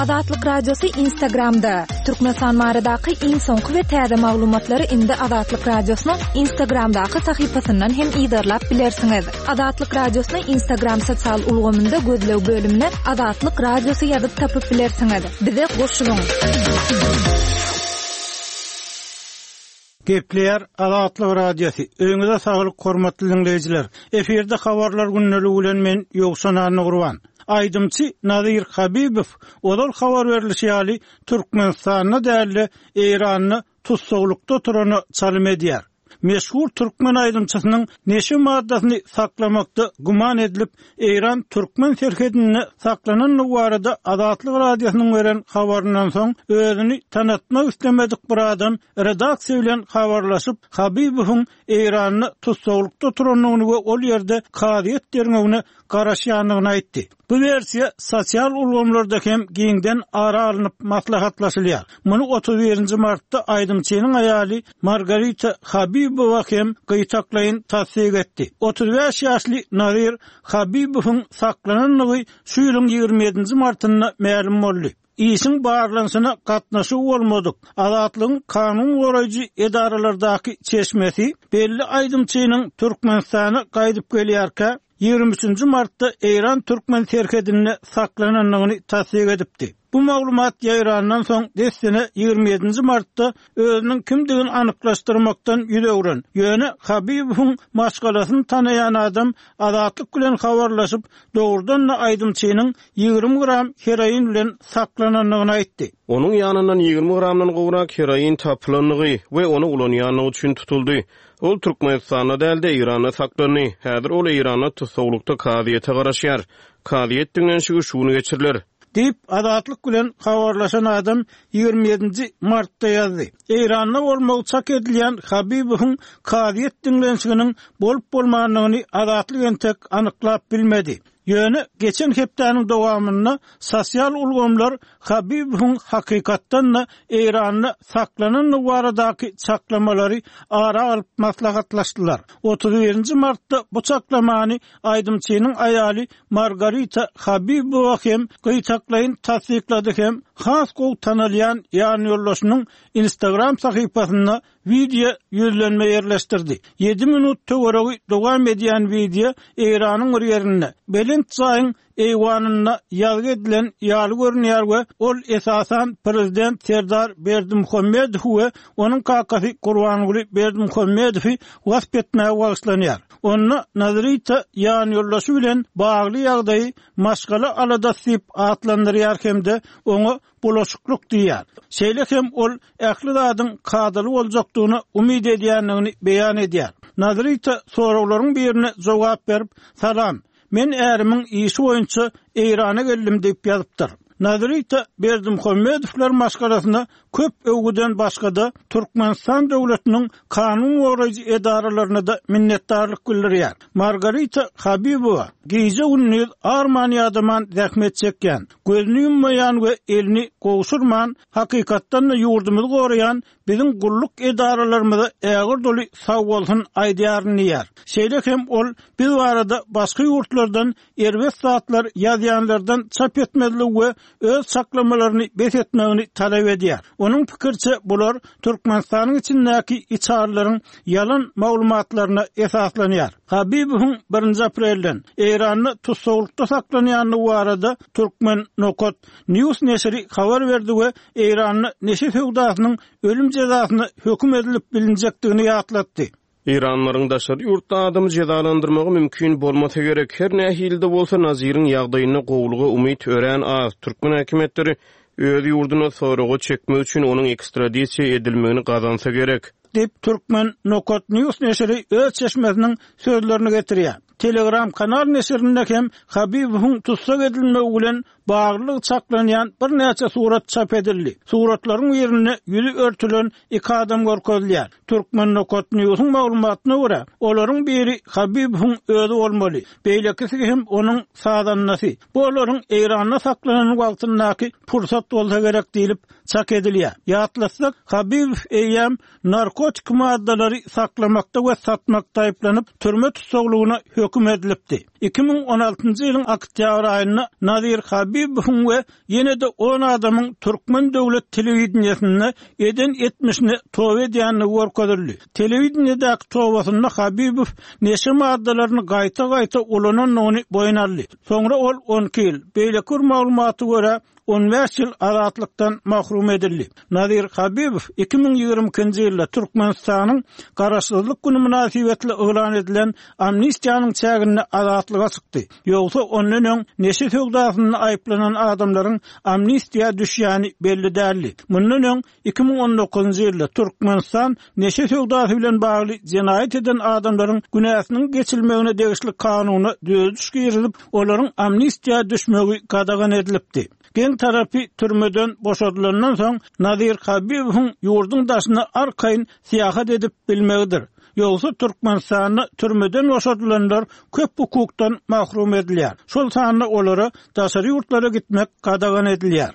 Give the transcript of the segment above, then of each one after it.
Azatlyk Radiosy Instagramda! Türkmenistan baradaky iň soňky we täze maglumatlary indi Azatlyk Radiosynyň Instagramdaky sahypasyndan hem yzarlap bilersiňiz. Azatlyk Radiosyny Instagram sosial ulgamynda gözleg bölümine Azatlyk Radiosy ýazyp tapyp bilersiňiz. Bize goşulyň! Gepleýär Azatlyk Radiosy. Öýüňize saglyk hormatly diňleýjiler. Efirde habarlar gündeligi bilen men Ýowşan Annagurban. Aýdymçy Nazir Habibow ozal habar berlişi ýaly Türkmenistanda däl-de Eýranda tussaglykda oturana çalym edýär. Meşhur türkmen aýdymçysynyň neşe maddasyny saklamakda güman edilip Eýran-türkmen serhedinde saklanandygy barada Azatlyk Radiosynyň beren habaryndan soň, özüni tanatmak islemedik bir adam redaksiýa bilen habarlaşyp, Habibowyň Eýranda tussaglykda oturandygyny we ol ýerde kazyýet derňewine garaşýandygyny aýtdy. Bu wersiýa sosial ulgamlarda hem giňden ara alnyp maslahatlaşylýar. Muny 31 nji martda aýdymçynyň aýaly Margarita Habibowa hem gytaklaýyn tassyk etdi. 35 ýaşly Nazir Habibowyň saklanandygy şu ýylyň 27 nji martynda mälim boldy. Işiň barlanyşyna gatnaşygy bolmadyk Azatlygyň kanun goraýjy edaralardaky çeşmesi belli aýdymçynyň Türkmenistana gaýdyp gelýärkä, 23 nji martda Eýran-türkmen serhedinde saklanandygyny tassyk edipdi. Bu maglumat ýaýrandan soň, dessine 27 nji martda özüniň kimdigini anyklaşdyrmakdan ýüz öwren, ýöne Habibowyň maşgalasyny tanaýan adam Azatlyk bilen habarlaşyp, dogrudan-da aýdymçynyň 20 gram heroin bilen saklanandygyny aýtdy. Onuň ýanyndan 20 gramdan gowrak heroin tapylandygy we ony ulanýandygy üçin tutuldy. Ol Türkmenistanda däl-de, Eýranda saklandy. Häzir ol Eýranda tussaglykda kazyýete garaşýar. Kazyýet diňlenişigi şu gün geçiriler. Diýip, Azatlyk bilen habarlaşan adam 27 nji martda ýazdy. Eýranda bolmagy çak edilýän Habibowyň kazyýet diňlenişiginiň bolup-bolmandygyny Azatlyk entek anyklap bilmedi. Ýöne geçen hepdäniň dowamynda sosial ulgamlar Habibowyň hakykatdan-da Eýranda saklanandygy baradaky çaklamalary ara alyp maslahatlaşdylar. 31 nji martda bu çaklamany aýdymçynyň aýaly Margarita Habibowa hem gytaklaýyn tassyklady hem has gowy tanalýan ýanýoldaşynyň Instagram sahypasynda Wideo ýüzlenme ýerleşdirdi. Ýedi minut töweregi dowam edýän wideo Eýranyň bir ýerinde, belent jaýyň eýwanynda ýazgy edilen ýaly görünýär we ol esasan prezident Serdar Berdimuhamedowy we onuň kakasy Gurbanguly Berdimuhamedowy wasp etmäge bagyşlanýar. Onda Nazrita ýanýoldaşy bilen bagly ýagdaýy maşgala aladasy diýip atlandyrýar hem-de oňa bulaşyklyk diýýär. Şeýle hem ol ähli zadyň kadaly boljakdygyna umyt edýändigini beýan edýär. Nazrita soraglaryň birine jogap berip, Salam, men ärimiň işi boýunça Eýrana geldim diýip ýazypdyr. Nazrita Berdimuhamedowlar maşgalasyna köp öwgüden başga-da, Türkmenistan döwletiniň kanun goraýjy edaralaryna-da minnetdarlyk bildirýär. Margarita Habibowa gije-gündiz arman-ýadaman zähmet çekýän, Gözüni ýummaýan we elini gowşurman, hakykatdan-da ýurdumyzy goraýan biziň gulluk edaralarymyza ägirt uly sagbolsun aýdýaryn diýýär. Şeýle hem ol biz barada başga ýurtlardan erbet zatlar ýazýanlardan çap etmezligi we öz çaklamalaryny bes etmegini talap edýär. Onuň pikiriçe, bular Türkmenistanyň içindäki içalylaryň ýalan maglumatlaryna esaslanýar. Habibowyň birinji aprelden Eýranda tussaglykda saklanýandygy barada Turkmen. News neşiri habar berdi we Eýranda neşe söwdasynyň ölüm jezasyna höküm edilip bilinjekdigini ýatlatdy. Eýranlylaryň daşary ýurtda adamy jezalandyrmagy mümkin bolmasa gerek. Her nähili-de bolsa, Naziriň ýagdaýynda gowulyga umyt örän az. Türkmen häkimiýetleri öz ýurduna soraga çekmek üçin onuň ekstradisiýa edilmegini gazansa gerek. Diýip, Turkmen. News neşiri öz çeşmesiniň sözlerini getirýär. Telegram kanal neşirinde hem Habibowyň tussag edilmegi bilen baglylygy çaklanýan birnäçe surat çap edildi. Suratlaryň birinde ýüzi örtülen iki adam görkezilýär. Turkmen. Newsiň maglumatyna görä, olaryň biri Habibowyň özi bolmaly, beýlekisi hem onuň sazandasy. Bu olaryň Eýranda saklanan wagtyndaky pursat bolsa gerek diýlip, çak edilýär. Ýatlatsak, Habibow eýýäm narkotik maddalary saklamakda we satmakda aýyplanyp, türme tussaglygyna höküm edilipdi. 2016-njy ýylyň oktýabr aýynda Nazir Habibowyň we ýene-de on adamyň türkmen döwlet telewideniýesinde eden etmişine toba edýändigi görkezildi. Telewideniýedäki tobasynda Habibow neşe maddalaryny gaýta-gaýta ulanandygyny boýun aldy. Soňra ol 12 ýyl, beýleki bir maglumata görä, 15 ýyl azatlykdan mahrum edildi. Nazir Habibow 2022-nji ýylda Türkmenistanyň Garaşsyzlyk güni mynasybetli yglan edilen amnistiýanyň çäginde azatlyga çykdy. Ýogsa ondan öň neşe söwdasynda aýyplanan adamlaryň amnistiýa düşýäni belli däldi. Mundan öň 2019-njy ýylda Türkmenistan neşe söwdasy bilen bagly jenaýat eden adamlaryň günäsiniň geçilmegine degişli kanuna düzediş girizip, olaryň amnistiýa düşmegi gadagan edilipdi. Geň tarapy, türmeden boşadylandan soň Nazir Habibowyň ýurduň daşyna arkaýyn syýahat edip bilmegidir. Ýogsa Türkmenistanda türmeden boşadylanlar köp hukukdan mahrum edilýär. Şol sanda olara daşary ýurtlara gitmek gadagan edilýär.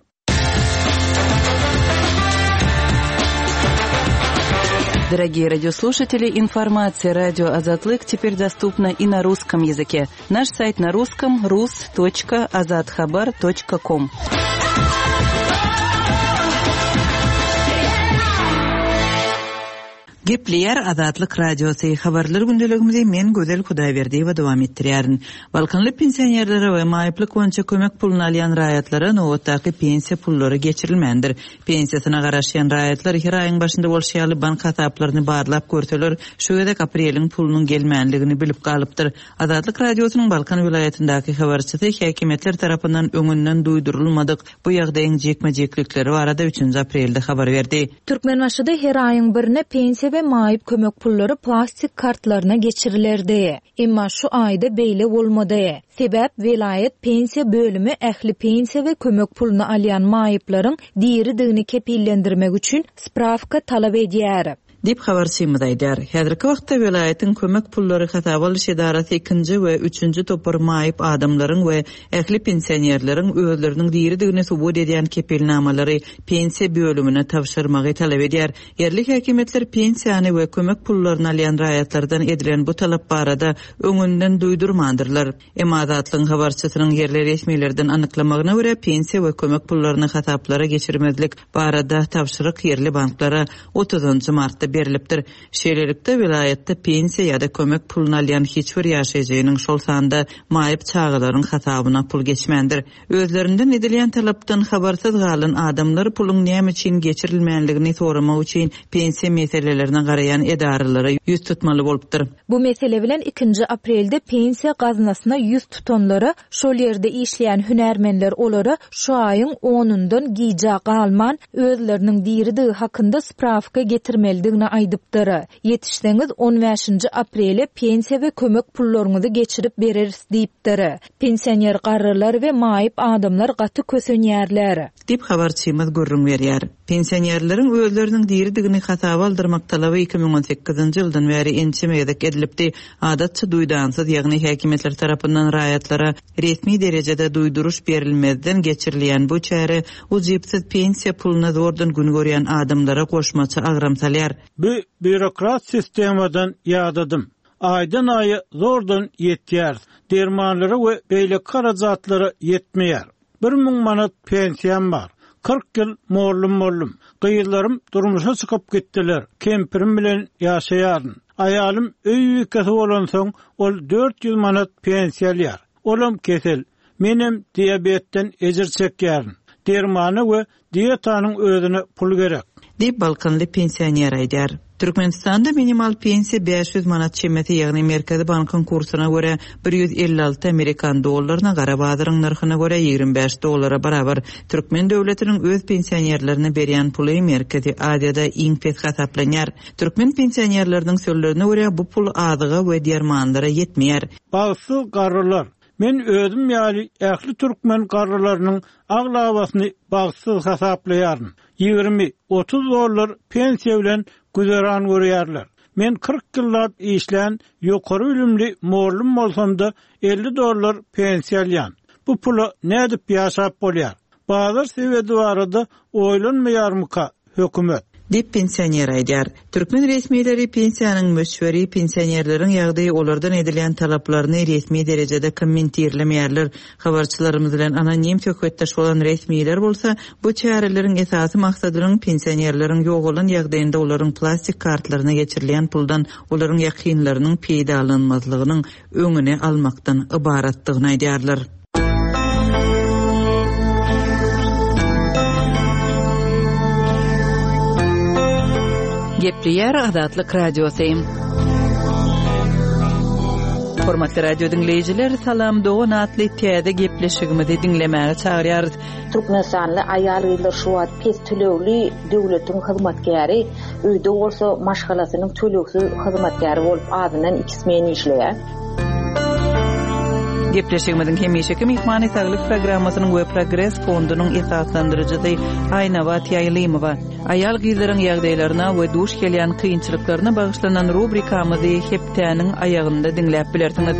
Дорогие радиослушатели, информация радио Азатлык теперь доступна и на русском языке. Наш сайт на русском rus.azathabar.com. Gepleýär Azatlyk Radiosy, Habarlar gündeligimizi men Gözel Hudaýberdiýewa dowam etdirýärin. Balkanly pensionerlere we maýyplyk boýunça kömek puluny alýan raýatlara nobatdaky pensiýa pullary geçirilmändir. Pensiýasyna garaşýan raýatlar her aýyň başynda bolşy ýaly bank hasaplaryny barlap görseler, şu gezek apreliň pulunyň gelmänligini bilip galypdyr. Azatlyk Radiosynyň Balkan welaýatyndaky habarçysy häkimiýetler tarapyndan öňünden duýdurylmadyk bu ýagdaýyň jikme-jiklikleri barada üçünji aprelde habar berdi. Türkmenbaşyda her aýyň birine pensiýa we maýyp kömek pullary plastik kartlaryna geçirilerdi. Emma şu aýda beýle bolmady. Sebäp welaýat pensiýa bölümi ähli pensiýa we kömek puluny alýan maýyplaryň diridigini kepillendirmek üçin sprawka talap edýär. Diýip, habarçymyz aýdýar. Häzirki wagtda welaýatyň kömek pullary hasaba alyş edarasy ikinji we üçünji topar maýyp adamlaryň we ähli pensionerleriň özleriniň diridigini subut edýän kepilnamalary pensiýa bölümine tabşyrmagy talap edýär. Ýerli häkimiýetler pensiýany we kömek pullaryny alýan raýatlardan edilen bu talap barada öňünden duýdurmandyrlar. Emma Azatlygyň habarçysynyň ýerli resmilerden anyklamagyna görä, pensiýa we kömek pullaryny hasaplara geçirmezlik barada tabşyryk ýerli banklara otuzynjy martda berlipdir. Şeýlelikde, welaýatda pensiýa ýa-da kömek puluny alýan hiç bir ýaşaýjynyň, şol sanda maýyp çagalaryň hasabyna pul geçmändir. Özlerinden edilýän talapdan habarsyz galan adamlar puluň näme üçin geçirilmänligini soramak üçin pensiýa meselelerine garaýan edaralara ýüz tutmaly bolupdyr. Bu mesele bilen ikinji aprelde pensiýa gaznasyna ýüz tutanlara şol ýerde işleýän hünärmenler olara şu aýyň onundan gijä galman özleriniň diridigi hakynda sprawka getirmelidigini aýdypdyr. Ýetişseňiz on bäşinji aprele pensiýa we kömek pullaryňyzy geçirip bereris diýipdir. Pensioner garrylar we maýyp adamlar gaty kösenýärler. Diýip, habarçymyz gürrüň berýär. Pensionerleriň özleriniň diridigini hasaba aldyrmak talaby 2018-nji ýyldan bäri ençeme gezek edilipdi. Adatça duýdansyz, ýagny häkimiýetler tarapyndan raýatlara resmi derejede duýduryş berilmezden geçirilýän bu çäre ujypsyz pensiýa puluna zordan gün görýän adamlara goşmaça agram salýar. Bu býurokrat sistemadan ýadadym. Aýdan-aýa zordan ýetýäris. Dermanlara we beýleki harajatlara ýetmeýär. 1000 manat pensiýam bar. 40 ýyl mollum boldum. Gyzlarym durmuşa çykyp gitdiler. Kempirim bilen ýaşaýaryn. Aýalym öý bikesi bolansoň, ol 400 manat pensiýa alýar. Olam kesel. Menem diabetden ejir çekýärin. Dermana we dietanyň özüne pul gerek. Diýip, balkanly pensioner aýdýar. Türkmenistanda minimal pensiýa 500 manat çemesi, ýagny Merkezi bankyň kursuna görä 156 amerikan dollaryna, gara bazaryň nyrhyna görä 25 dollara barabar. Türkmen döwletiniň öz pensionerlerine berýän puly Merkezi Aziýada iň pes hasaplanýar. Türkmen pensionerleriniň sözlerine görä, bu pul azyga we dermanlara ýetmeýär. Bagtsyz garrylar. Men özüm ýaly ähli türkmen garrylarynyň aglabasyny bagtsyz hasaplaýaryn. 20, 30 dollar pensiýa bilen güzeran görýärler. Men 40 ýyllap işlän ýokary bilimli mollum bolsam-da 50 dollar pensiýa alýan. Bu pula nädip ýaşap bolýar? Bazar sebedi barada oýlanmaýarmyka hökümet? Diýip, pensioner aýdýar. Türkmen resmileri pensiýanyň möçberi, pensionerleriň ýagdaýy olardan edilýän talaplaryny resmi derejede kommentirlemeýärler. Habarçylarymyz bilen anonim söhbetdeş bolan resmiler bolsa, bu çäreleriň esasy maksadynyň pensionerleriň ýogalan ýagdaýynda olaryň plastik kartlaryna geçirilýän puldan olaryň ýakynlarynyň peýdalanmazlygynyň öňüni almakdan ybaratdygyny aýdýarlar. Gepleýär Azatlyk Radiosy. Hormatly radio diňleýjiler, Salam dogan atly täze gepleşigimizi diňlemäge çagyrýarys. Türkmenistanly aýal-gyzlar şu wagt pes tölegli döwletiň hyzmatkäri, öýde bolsa maşgalasynyň tölegsiz hyzmatkäri bolup azyndan Smen işleýär. Gepleşigimiziň hemişeki myhmany Saglyk programmasynyň we Progres fondunyň esaslandyryjysy Aýnabat Ýaýlymowa. Aýal-gyzlaryň ýagdaýlaryna we duş gelýän kynçylyklaryna bagyşlanan rubrikamyzy hepdäniň aýagynda diňläp bilersiňiz.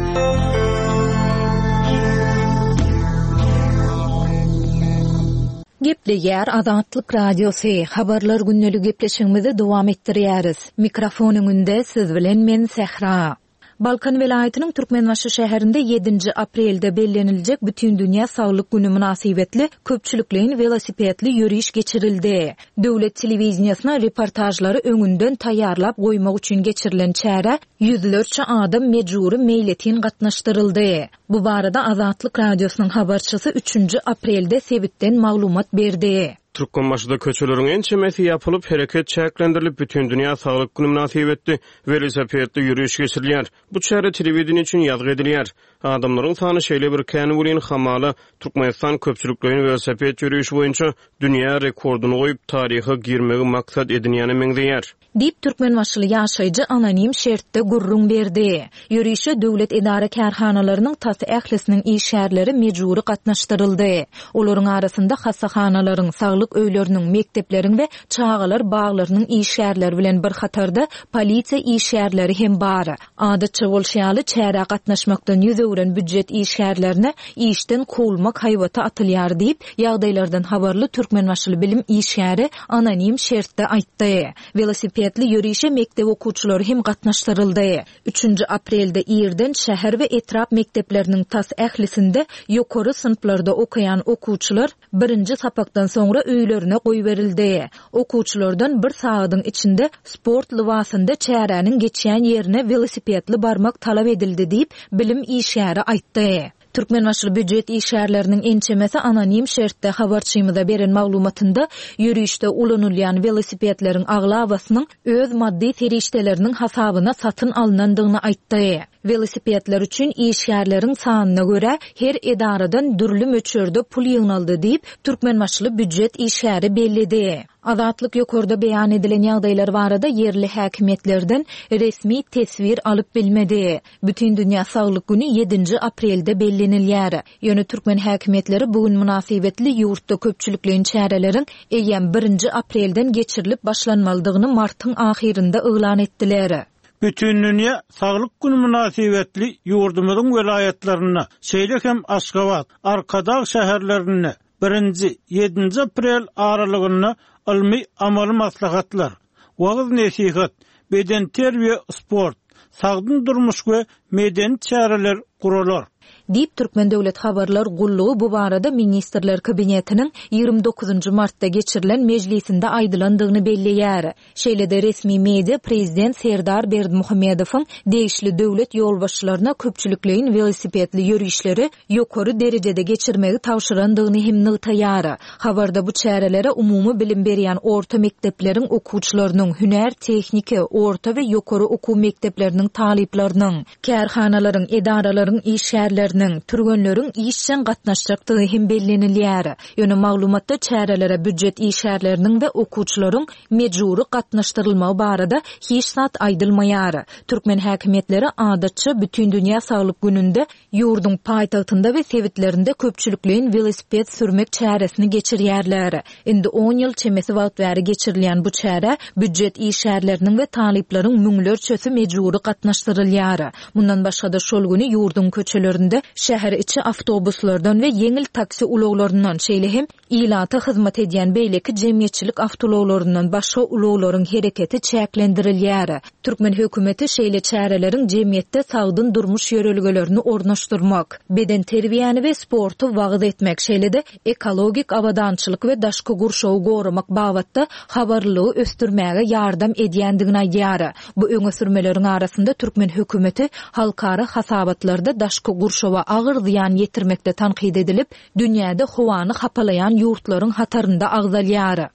Gepleýär Azatlyk Radiosy, Habarlar gündelik gepleşigimizi dowam etdirýäris. Mikrofon öňünde siz bilen men Sähra. Balkan welaýatynyň Türkmenbaşy şäherinde ýedinji aprelde belleniljek Bütindünýä saglyk güni mynasybetli köpçülikleýin welosipedli ýöriş geçirildi. Döwlet telewideniýesine reportažlary öňünden taýýarlap goýmak üçin geçirilen çärä ýüzlerçe adam mejbury meýletin gatnaşdyryldy. Bu barada Azatlyk Radiosynyň habarçysy üçünji aprelde sebitden maglumat berdi. Türkmenbaşyda köçeleriň ençemesi ýapylyp, hereket çäklendirilip, Bütindünýä saglyk güni mynasybetli welosipedli ýöriş geçirilýär. Bu çäre telewideniýe üçin ýazgy edilýär. Adamlaryň sany şeýle bir kän welin, hamala, Türkmenistan köpçülikleýin welosiped ýörişi boýunça dünýä rekordyny goýup, taryha girmegi maksat edinýäne meňzeýär. Diýip, türkmenbaşyly ýaşaýjy anonim şertde gürrüň berdi. Ýörişe döwlet edara-kärhanalarynyň tas ählisiniň işgärleri mejbury gatnaşdyryldy. Olaryň arasynda hassahanalaryň, saglyk öýleriniň, mekdepleriň we çagalar baglarynyň işgärleri bilen bir hatarda polisiýa işgärleri hem bar. Adatça bolşy ýaly, çärä gatnaşmakdan ýüz öwren býujet işgärlerine işden kowulmak haýbaty atylýar diýip, ýagdaýlardan habarly türkmenbaşyly bilim işgäri anonim şertde aýtdy. Welosipedli ýörişe mekdep okuwçylary hem gatnaşdyryldy. Üçünji aprelde irden şäher we etrap mekdepleriniň tas ählisinde ýokary synplarda okaýan okuwçylar birinji sapakdan soňra öýlerine goýberildi. Okuwçylardan bir sagadyň içinde sport lybasynda çäräniň geçýän ýerine welosipedli barmak talap edildi diýip, bilim işgäri aýtdy. Türkmenbaşyly býujet işgärleriniň ençemesi anonim şertde habarçymyza beren maglumatynda ýörişde ulanylýan welosipedleriň aglabasynyň öz maddy serişdeleriniň hasabyna satyn alnandygyny aýtdy. Welosipedler üçin işgärleriň sanyna görä her edaradan dürli möçberde pul ýygnaldy diýip, türkmenbaşyly býujet işgäri belledi. Azatlyk ýokarda beýan edilen ýagdaýlar barada ýerli häkimiýetlerden resmi teswir alyp bilmedi. Bütindünýä saglyk güni ýedinji aprelde bellenilýär. Ýöne türkmen häkimiýetleri bu gün mynasybetli ýurtda köpçülikleýin çäreleriň eýýäm birinji aprelden geçirilip başlanmalydygyny martyň ahyrynda yglan etdiler. Bütindünýä saglyk güni mynasybetli ýurdumyzyň welaýatlarynda, şeýle hem Aşgabat, Arkadag şäherlerinde birinji, ýedinji aprel aralygynda ylmy-amaly maslahatlar, wagyz-nesihat, bedenterbiýe-sport, sagdyn durmuş we medeni çäreler guralar. Diýip, Türkmen döwlet habarlar gullugy bu barada Ministrler Kabinetiniň 29 martda geçirilen mejlisinde aýdylandygyny belleýär. Şeýle-de resmi media prezident Serdar Berdimuhamedowyň degişli döwlet ýolbaşçylaryna köpçülikleýin welosipedli ýörişleri ýokary derejede geçirmegi tabşyrandygyny hem nygtaýar. Habarda bu çärelere umumy bilim berýän orta mekdepleriň okuwçylarynyň, hünär-tehniki, orta we ýokary okuw mekdepleriniň talyplarynyň, kärhanalaryň, edaralaryň işgärleriniň, türgenleriň işjeň gatnaşjakdygy hem bellenilýär. Ýöne maglumatda çärelere býujet işgärleriniň we okuwçylaryň mejbury gatnaşdyrylmagy barada hiç zat aýdylmaýar. Türkmen häkimiýetleri adatça Bütindünýä saglyk gününde ýurduň paýtagtynda we sebitlerinde köpçülikleýin welosiped sürmek çäresini geçirýärler. Indi on ýyl çemesi wagt bäri geçirilýän bu çärä býujet işgärleriniň we talyplaryň müňlerçesi mejbury gatnaşdyrylýar. Mundan başga-da şol güni ýurduň köçelerinde. döwründe şäher içi awtobuslardan we ýeňil taksi ulaglaryndan, şeýle hem ilata hyzmat edýän beýleki jemgyýetçilik awtoulaglaryndan başga ulaglaryň hereketi çäklendirilýär. Türkmen hökümeti şeýle çäreleriň jemgyýetde sagdyn durmuş ýörelgelerini ornaşdyrmak, bedenterbiýäni we sporty wagyz etmek, şeýle-de ekologik abadançylyk we daşky gurşawy goramak babatda habarlylygy ösdürmäge ýardam edýändigini aýdýar. Bu öňe sürmeleriň arasynda türkmen hökümeti halkara hasabatlarda daşky gurşawa agyr zyýan ýetirmekde tankyt edilip, dünýäde howany hapalaýan ýurtlaryň hatarynda agzalýar.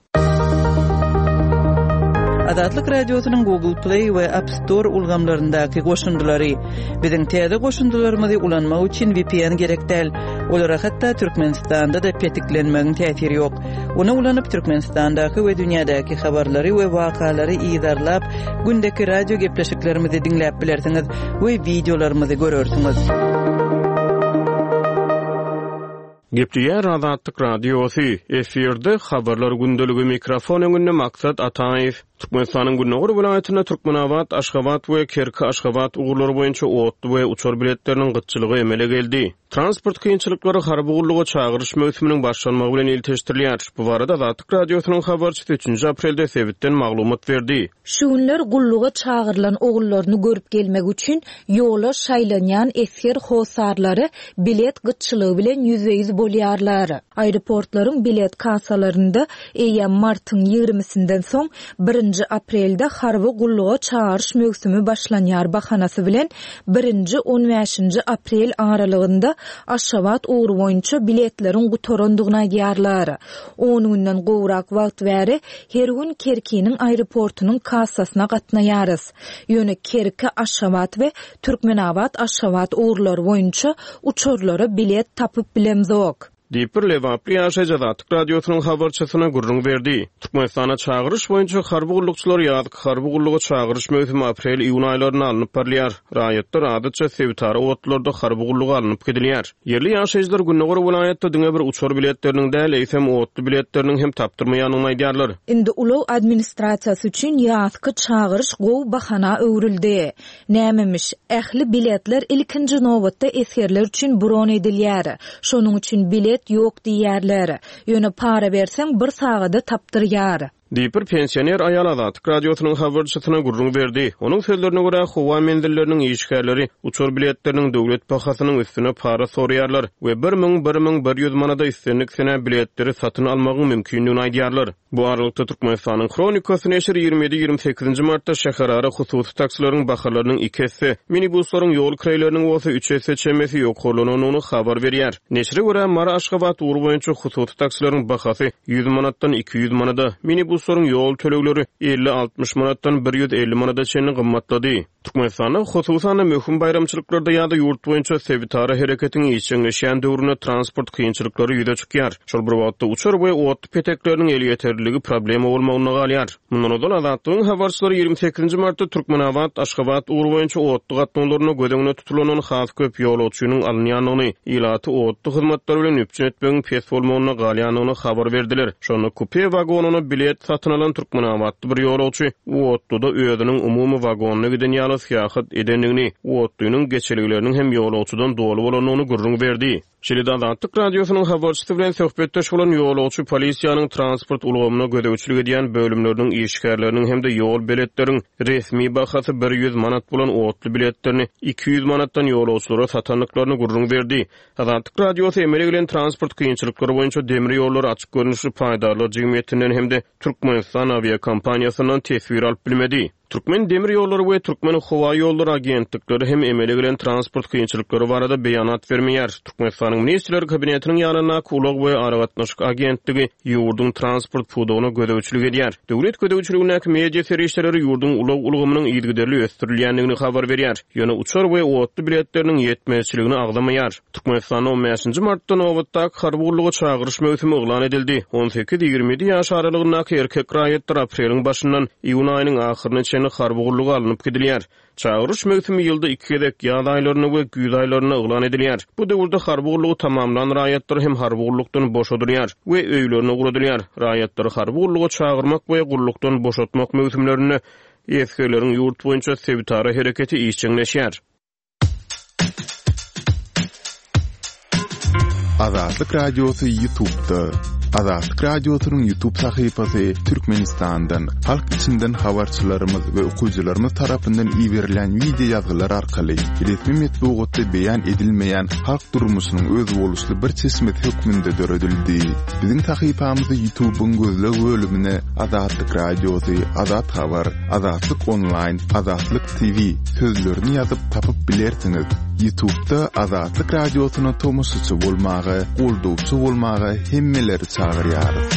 Azatlyk Radiosynyň Google Play we App Store ulgamlaryndaky goşundylary. Biziň täze goşundylarymyzy ulanmak üçin VPN gerek däl. Olara hatda Türkmenistanda-da petiklenmegiň täsiri ýok. Ony ulanyp Türkmenistandaky we dünýädäki habarlary we wakalary yzarlap, gündeki radio gepleşiklerimizi diňläp bilersiňiz we wideolarymyzy görersiňiz. Gepleýär Azatlyk Radiosy, efirde Habarlar gündeligi mikrofon öňünde Maksat Ataýew. Türkmenistanyň gündogar welaýatynda Türkmenabat, Aşgabat we Kerki, Aşgabat ugurlary boýunça otly we uçar biletleriniň gytçylygy emele geldi. Transport kynçylyklary harby gulluga çagyryş möwsüminiň başlanmagy bilen ilteşdirilýär. Bu barada Azatlyk Radiosynyň habarçysy üçünji aprelde sebitden maglumat berdi. Şu günler gulluga çagyrylan ogullaryny görüp gelmek üçin ýola şaýlanýan esger hossarlary bilet gytçylygy bilen ýüzbe-ýüz bolýarlar. Aeroportlaryň bilet kassalarynda eýýäm martyň ýigrimisinden soň birinji aprelde harby gulluga çagyryş möwsümi başlanýar bahanasy bilen birinji, on bäşinji aprel aralygynda Aşgabat ugry boýunça biletleriň gutarandygyny aýdýarlar. On günden gowrak wagt bäri her gün Kerkiniň aeroportunyň kassasyna gatnaýarys. Ýöne Kerki, Aşgabat we Türkmenabat, Aşgabat ugurlary boýunça uçarlara bilet tapyp bilemzok. Diýip, bir lebaply ýaşaýjy Azatlyk Radiosynyň habarçysyna gürrüň berdi. Türkmenistanda çagyryş boýunça harby gullukçylar ýazky harby gulluga çagyryş möwsümi aprel-iýun aýlarynda alnyp barylýar. Raýatlar adatça sebitara otlularda harby gulluga alnyp gidilýär. Ýerli ýaşaýjylar gündogar welaýatda diňe bir uçar biletleriniň däl, eýsem, otly biletleriniň hem tapdyrmaýandygyny aýdýarlar. Indi ulag administrasiýasy üçin ýazky çagyryş gowy bahana öwrüldi. Nämemiş, ähli biletler ilkinji nobatda esgerler üçin bron edilýär. Şonuň üçin bilet ýok diýýärler. Ýöne para berseň bir sagada tapdyrýar. Diýip, bir pensioner aýal Azatlyk Radiosynyň habarçysyna gürrüň berdi. Onuň sözlerine görä, howa menzilleriniň işgärleri uçar biletleriniň döwlet bahasynyň üstüne para soraýarlar we 1000, 1100 manada islendik senä biletleri satyn almagyň mümkindigini aýdýarlar. Bu aralykda, Türkmenistanyň Hronikasy neşiri 27, 28-nji martda şäherara hususy taksileriň bahalarynyň iki esse, minibuslaryň ýol kireýleriniň bolsa üç esse çemesi ýokarlanandygyny habar berýär. Neşire görä, Mary-Aşgabat ugry boýunça hususy taksileriň bahasy 100 manatdan 200 manada, minibuslaryň ýol tölegleri 50-60 manatdan 150 manada çenli gymmatlady. Türkmenistanda, hususan-da, möhüm baýramçylyklarda ýa-da ýurt boýunça sebitara hereketiň işjeňleşýän döwründe transport kynçylyklary ýüze çykýar. Şol bir wagtda, uçar we otly petekleriniň elýeterliligi problema bolmagynda galýar. Mundan ozal, Azatlygyň habarçylary 28-nji martda Türkmenabat, Aşgabat ugry boýunça otly gatnawlarynda göz öňünde tutulandan has köp ýolagçynyň alynýandygyny, ilaty otly hyzmatlary bilen üpjün etmegiň pes bolmagynda galýandygyny habar berdiler. Şonda kupe wagonyna bilet satyn alan türkmenabatly bir ýolagçy otluda özüniň umumy wagonyna giden ýaly syýahat edendigini, otlynyň geçelgeleriniň hem ýolagçydan doly bolandygyny gürrüň berdi. Şeýle-de Azatlyk Radiosynyň habarçysy bilen söhbetdeş bolan ýolagçy polisiýanyň transport ulgamyna gözegçilik edýän bölümleriniň işgärleriniň hem-de ýol beletleriň resmi bahasy 100 manat bolan otly biletlerini 200 manatdan ýolagçylara satandyklaryny gürrüň berdi. Azatlyk Radiosy emele gelen transport kynçylyklary boýunça Demir ýollary açyk görnüşli paýdarlar jemgyýetinden hem-de Türkmenistan awiakompaniýasyndan teswir alyp bilmedi. Türkmen demir ýollary we Türkmen howa ýollary agentlikleri hem emele gelen transport kynçylyklary barada beýanat bermeýär. Türkmenistanyň Ministrler Kabinetiniň ýanyndaky Ulag we aragatnaşyk agentligi ýurduň transport pudagyna gözegçilik edýär. Döwlet gözegçiligindäki media serişdeleri ýurduň ulag ulgamynyň yzygiderli ösdürilýändigini habar berýär. Ýöne uçar we otly biletleriniň ýetmezçiligini agzamaýar. Türkmenistanda on bäşinji martda nobatdaky harby gulluga çagyryş möwsümi yglan edildi. On sekiz, 27 ýaş aralygyndaky erkek raýatlar apreliň başyndan iýun aýynyň ahyryna çenli harby gulluga alnyp gidilýär. Çagyryş möwsümi ýylda iki gezek, ýaz aýlarynda we güýz aýlarynda yglan edilýär. Bu döwürde harby gullugy tamamlan raýatlar hem harby gullukdan boşadylýar we öýlerine ugradylýar. Raýatlary harby gulluga çagyrmak we gullukdan boşatmak möwsümlerinde esgerleriň ýurt boýunça sebitara hereketi işjeňleşýär. Azatlyk Radiosy Ýutubda. Azatlyk Radiosynyň Ýutub sahypasy Türkmenistandan, halk içinden habarçylarymyz we okyjylarymyz tarapyndan iberilýän wideo ýazgylar arkaly resmi metbugatda beýan edilmeýän halk durmuşynyň özboluşly bir çeşmesi hökmünde döredildi. Biziň sahypamyzy Ýutubyň gözleg bölümine Azatlyk Radiosy, Azat Habar, Azatlyk Onlaýn, Azatlyk TV sözlerini ýazyp tapyp bilersiňiz. Ýutubda Azatlyk Radiosyna tomaşaçy bolmaga, goldawçy bolmaga hemmeleri çagyrýarys.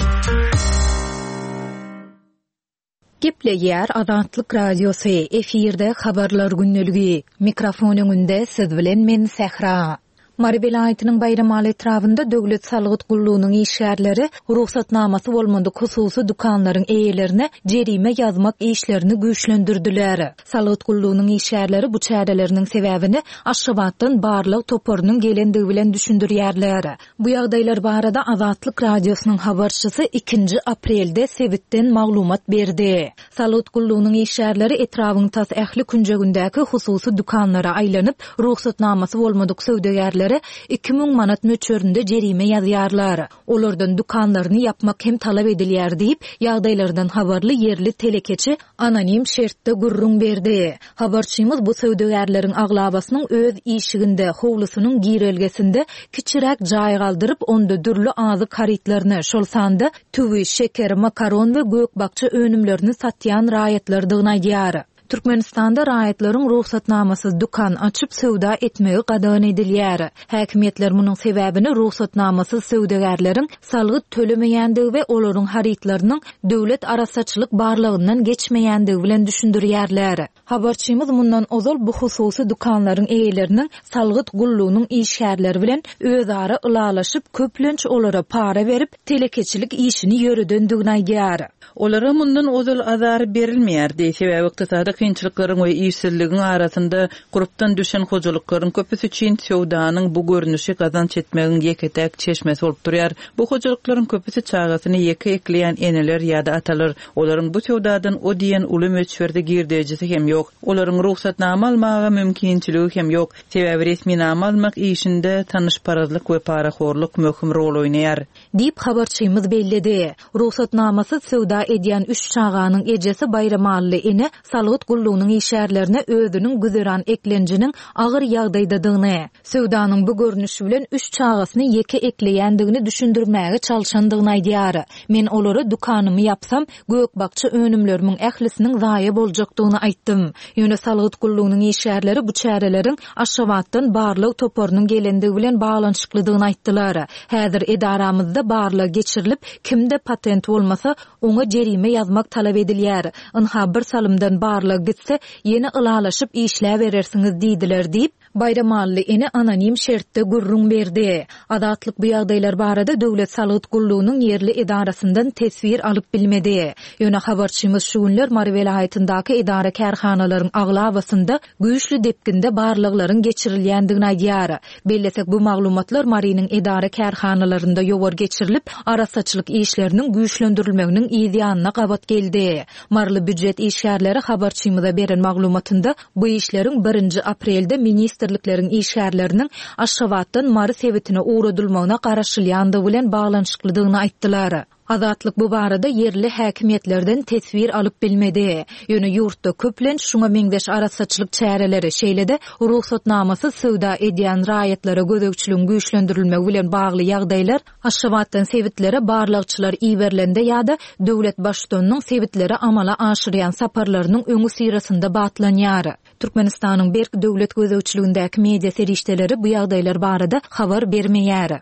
Gepleýär Azatlyk Radiosy, efirde Habarlar gündeligi. Mikrofon öňünde siz bilen men Sähra. Mary welaýatynyň Baýramaly etrabynda döwlet salgyt gullugynyň işgärleri rugsatnamasy bolmadyk hususy dükanlaryň eýelerine jerime ýazmak işlerini güýçlendirdiler. Salgyt gullugynyň işgärleri bu çäreleriniň sebäbini Aşgabatdan barlag toparynyň gelendigi bilen düşündirýärler. Bu ýagdaýlar barada Azatlyk Radiosynyň habarçysy ikinji aprelde sebitden maglumat berdi. Salgyt gullugynyň işgärleri etrabyň tas ähli künjegindäki hususy dükanlara aýlanyp, rugsatnamasy bolmadyk söwdagärlere 2000 manat möçberinde jerime ýazýarlar. Olardan dükanlaryny ýapmak hem talap edilýär diýip, ýagdaýlardan habarly ýerli telekeçi anonim şertde gürrüň berdi. Habarçymyz bu söwdagärleriň aglabasynyň öz işiginde, howlusynyň girelgesinde kiçiräk jaý galdyryp, onda dürli azyk harytlaryny, şol sanda tüwi, şeker, makaron we gök-bakja önümlerini satýan raýatlardygyny aýdýar. Türkmenistanda raýatlaryň rugsatnamasyz dükan açyp söwda etmegi gadagan edilýär. Häkimiýetler munuň sebäbini rugsatnamasyz söwdagärleriň salgyt tölemeýändigi we olaryň harytlarynyň döwlet arassaçylyk barlagyndan geçmeýändigi bilen düşündirýärler. Habarçymyz mundan ozal bu hususy dükanlaryň eýeleriniň salgyt gullugynyň işgärleri bilen özara ylalaşyp, köplenç olara para berip, telekeçilik işini ýöredendigini aýdýar. Olara mundan ozal azar berilmeýärdi, sebäbi ykdysady kynçylyklaryň we işsizligiň arasynda gurpdan düşen hojalyklaryň köpüsi üçin söwdanyň bu görnüşi gazanç etmegiň ýeke-täk çeşmesi bolup durýar. Bu hojalyklaryň köpüsi çagasyny ýeke ekleýän eneler ýa-da atalar. Olaryň bu söwdadan o diýen uly möçberde girdejisi hem ýok. Olaryň rugsatnama almaga mümkinçiligi hem ýok. Sebäbi resminama almak işinde tanyşparazlyk we parahorluk möhüm rol oýnaýar. Diýip, habarçymyz belledi. Rugsatnamasyz söwda edýän üç çaganyň ejesi Baýramally ene salgyt gullugynyň işgärlerine özüniň güzeran eklenjiniň agyr ýagdaýdadygyny, söwdanyň bu görnüşi bilen üç çagasyny ýeke ekleýändigini düşündirmäge çalşandygyny aýdýar. Men olara dükanymy ýapsam, gök-bakja önümlerimiň ählisiniň zaýa boljakdygyny aýtdym. Ýöne salgyt gullugynyň işgärleri bu çäreleriň Aşgabatdan barlag toparynyň gelendigi bilen baglanyşyklydygyny aýtdylar. Häzir edaramyzda barlag geçirilip, kimde patent bolmasa, oňa jerime ýazmak talap edilýär. Ynha, bir salymdan barlag gitse, ýene ylalaşyp işläberersiňiz diýdiler diýip, Baýramally ene anonim şertde gürrüň berdi. Azatlyk bu ýagdaýlar barada Döwlet salgyt gullugynyň ýerli edarasyndan teswir alyp bilmedi. Ýöne habarçymyz şu günler Mary welaýatyndaky edara-kärhanalaryň aglabasynda güýçli depginde barlaglaryň geçirilýändigini aýdýar. Bellesek, bu maglumatlar Marynyň edara-kärhanalarynda ýowar geçirilip, arassaçylyk işleriniň güýçlendirilmeginiň yz ýanyna gabat geldi. Maryly býujet işgärleri habarçymyza beren maglumatynda bu işleriň birinji aprelde ministrlikleriň işgärleriniň Aşgabatdan Mary sebitine ugradylmagyna garaşylýandygy bilen baglanyşyklydygyny aýtdylar. Azatlyk bu barada ýerli häkimiýetlerden teswir alyp bilmedi. Ýöne ýurtda köplenç şuňa meňzeş arassaçylyk çäreleri, şeýle-de rugsatnamasyz söwda edýän raýatlara gözegçiligiň güýçlendirilmegi bilen bagly ýagdaýlar Aşgabatdan sebitlere barlagçylar iberilende ýa-da döwlet Baştutanynyň sebitlere amala aşyrýan saparlarynyň öňüsyrasynda batlanýar. Türkmenistanyň berk döwlet gözegçiligindäki media serişdeleri bu ýagdaýlar barada habar bermeýär.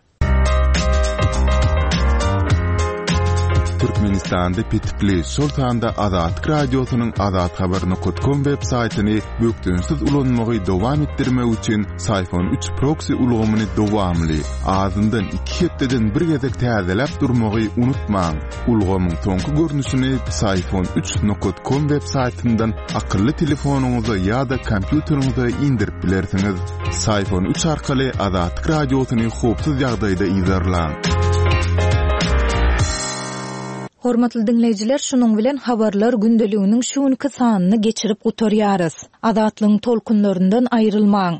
Türkmenistanda petikli, şol sanda Azatlyk Radiosynyň azathabar.com web saýtyny bökdençsiz ulanmagy dowam etdirmek üçin Syfon üç proksi ulgamyny dowamly, azyndan iki hepdeden bir gezek täzeläp durmagy unutmaň. Ulgamyň soňky görnüşini Psiphon üç nokat kom web saýtyndan akylly telefonyňyza ýa-da kompýuteriňize indirip bilersiňiz. Psiphon üç arkaly Azatlyk Radiosyny howpsuz ýagdaýda yzarlaň. Hormatly diňleýjiler, şunuň bilen Habarlar gündeliginiň şu günki sanyny geçirip gutarýarys. Azatlygyň tolkunlaryndan aýrylmaň!